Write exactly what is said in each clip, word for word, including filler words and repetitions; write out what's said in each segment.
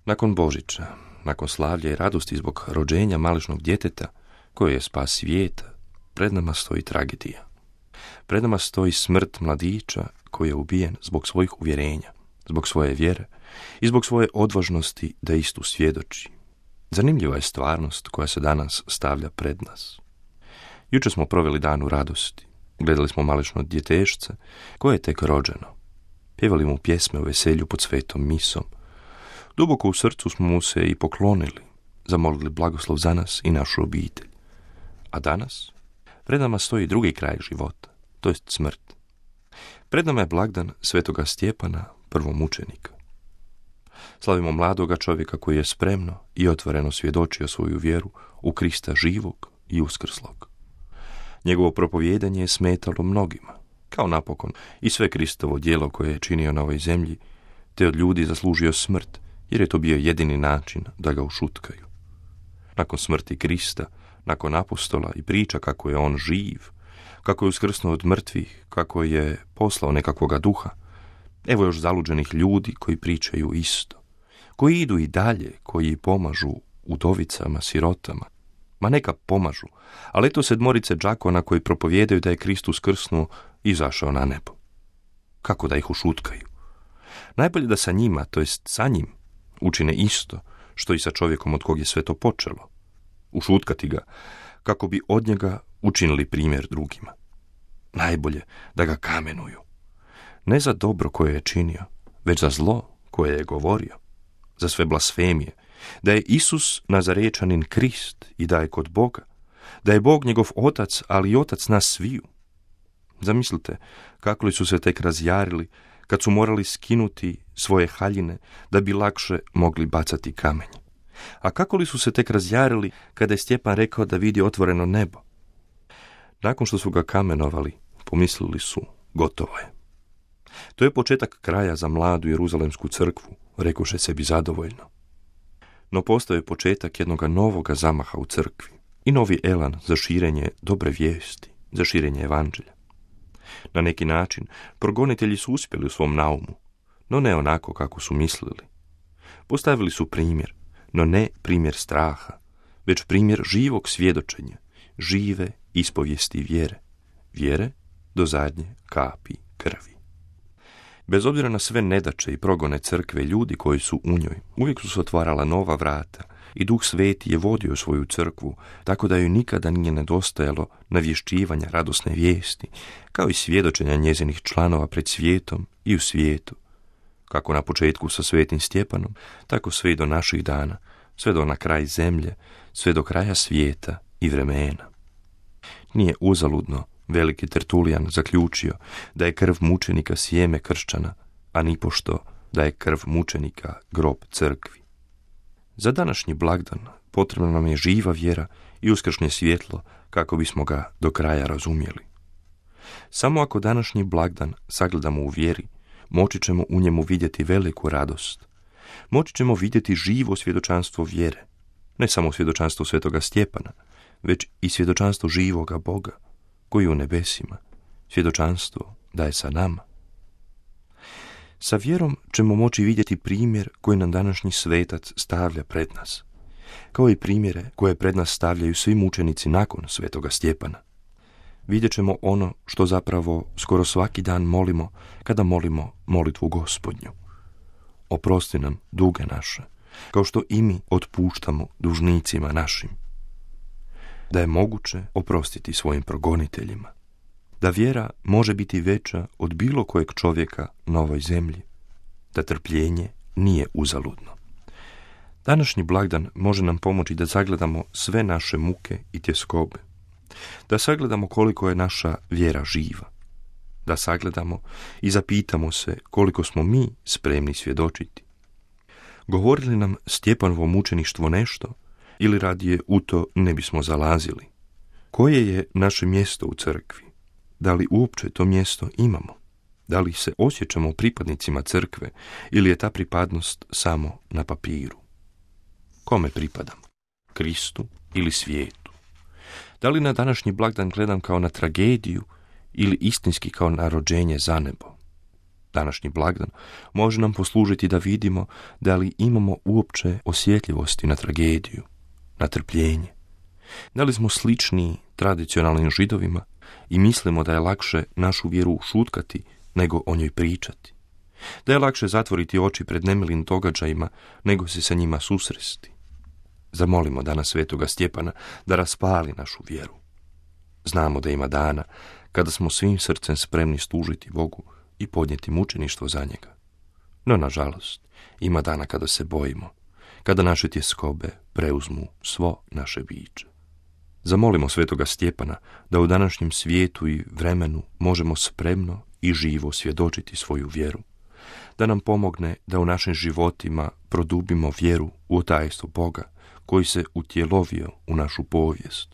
Nakon Božića, nakon slavlja i radosti zbog rođenja malešnog djeteta, koje je spas svijeta, pred nama stoji tragedija. Pred nama stoji smrt mladića koji je ubijen zbog svojih uvjerenja, zbog svoje vjere i zbog svoje odvažnosti da istu svjedoči. Zanimljiva je stvarnost koja se danas stavlja pred nas. Jučer smo proveli dan u radosti. Gledali smo malešno djetešce koje je tek rođeno. Pjevali mu pjesme o veselju pod svetom misom. Duboko u srcu smo mu se i poklonili, zamolili blagoslov za nas i našu obitelj. A danas pred nama stoji drugi kraj života, to jest smrt. Pred nama je blagdan svetoga Stjepana, prvomučenika. Slavimo mladoga čovjeka koji je spremno i otvoreno svjedočio svoju vjeru u Krista živog i uskrslog. Njegovo propovijedanje je smetalo mnogima, kao napokon i sve Kristovo djelo koje je činio na ovoj zemlji, te od ljudi zaslužio smrt, jer je to bio jedini način da ga ušutkaju. Nakon smrti Krista, nakon apostola i priča kako je on živ, kako je uskrsnuo od mrtvih, kako je poslao nekakvoga duha, evo još zaluđenih ljudi koji pričaju isto, koji idu i dalje, koji pomažu udovicama, sirotama. Ma neka pomažu, ali eto sedmorice đakona koji propovijedaju da je Kristus krsnuo i izašao na nebo. Kako da ih ušutkaju? Najbolje da sa njima, to jest sa njim, učine isto što i sa čovjekom od kog je sve to počelo. Ušutkati ga, kako bi od njega učinili primjer drugima. Najbolje da ga kamenuju. Ne za dobro koje je činio, već za zlo koje je govorio. Za sve blasfemije, da je Isus Nazarečanin Krist i da je kod Boga, da je Bog njegov otac, ali i otac nas sviju. Zamislite kako li su se tek razjarili kad su morali skinuti svoje haljine da bi lakše mogli bacati kamenje. A kako li su se tek razjarili kada je Stjepan rekao da vidi otvoreno nebo? Nakon što su ga kamenovali, pomislili su, gotovo je. To je početak kraja za mladu Jeruzalemsku crkvu, rekoše sebi zadovoljno. No postoje početak jednoga novoga zamaha u crkvi i novi elan za širenje dobre vijesti, za širenje evanđelja. Na neki način progonitelji su uspjeli u svom naumu, no ne onako kako su mislili. Postavili su primjer, no ne primjer straha, već primjer živog svjedočenja, žive ispovijesti vjere, vjere do zadnje kapi krvi. Bez obzira na sve nedaće i progone crkve, ljudi koji su u njoj, uvijek su se otvarala nova vrata i Duh Sveti je vodio svoju crkvu, tako da joj nikada nije nedostajalo navješćivanja radosne vijesti, kao i svjedočenja njezinih članova pred svijetom i u svijetu. Kako na početku sa svetim Stjepanom, tako sve i do naših dana, sve do na kraj zemlje, sve do kraja svijeta i vremena. Nije uzaludno veliki Tertulijan zaključio da je krv mučenika sjeme kršćana, a nipošto da je krv mučenika grob crkvi. Za današnji blagdan potrebna nam je živa vjera i uskršnje svjetlo kako bismo ga do kraja razumjeli. Samo ako današnji blagdan sagledamo u vjeri, moći ćemo u njemu vidjeti veliku radost. Moći ćemo vidjeti živo svjedočanstvo vjere, ne samo svjedočanstvo svetoga Stjepana, već i svjedočanstvo živoga Boga, koji je u nebesima, svjedočanstvo da je sa nama. Sa vjerom ćemo moći vidjeti primjer koji nam današnji svetac stavlja pred nas, kao i primjere koje pred nas stavljaju svi mučenici nakon svetoga Stjepana. Vidjet ćemo ono što zapravo skoro svaki dan molimo kada molimo molitvu Gospodnju. Oprosti nam duge naše, kao što i mi otpuštamo dužnicima našim. Da je moguće oprostiti svojim progoniteljima. Da vjera može biti veća od bilo kojeg čovjeka na ovoj zemlji. Da trpljenje nije uzaludno. Današnji blagdan može nam pomoći da sagledamo sve naše muke i tjeskobe. Da sagledamo koliko je naša vjera živa. Da sagledamo i zapitamo se koliko smo mi spremni svjedočiti. Govori li nam Stjepanovo mučeništvo nešto ili radije u to ne bismo zalazili? Koje je naše mjesto u crkvi? Da li uopće to mjesto imamo? Da li se osjećamo pripadnicima crkve ili je ta pripadnost samo na papiru? Kome pripadam? Kristu ili svijetu? Da li na današnji blagdan gledam kao na tragediju ili istinski kao na rođenje za nebo? Današnji blagdan može nam poslužiti da vidimo da li imamo uopće osjetljivosti na tragediju, na trpljenje. Da li smo slični tradicionalnim Židovima i mislimo da je lakše našu vjeru šutkati nego o njoj pričati. Da je lakše zatvoriti oči pred nemilim događajima nego se sa njima susresti. Zamolimo danas svetoga Stjepana da raspali našu vjeru. Znamo da ima dana kada smo svim srcem spremni služiti Bogu i podnijeti mučeništvo za njega. No, nažalost, ima dana kada se bojimo, kada naše tjeskobe preuzmu svo naše biće. Zamolimo svetoga Stjepana da u današnjem svijetu i vremenu možemo spremno i živo svjedočiti svoju vjeru, da nam pomogne da u našim životima produbimo vjeru u tajstvo Boga koji se utjelovio u našu povijest,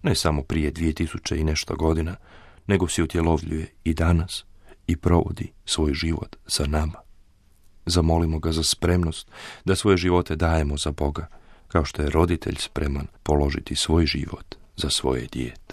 ne samo prije dvije tisuće i nešto godina, nego se utjelovljuje i danas i provodi svoj život za nama. Zamolimo ga za spremnost da svoje živote dajemo za Boga, kao što je roditelj spreman položiti svoj život za svoje dijete.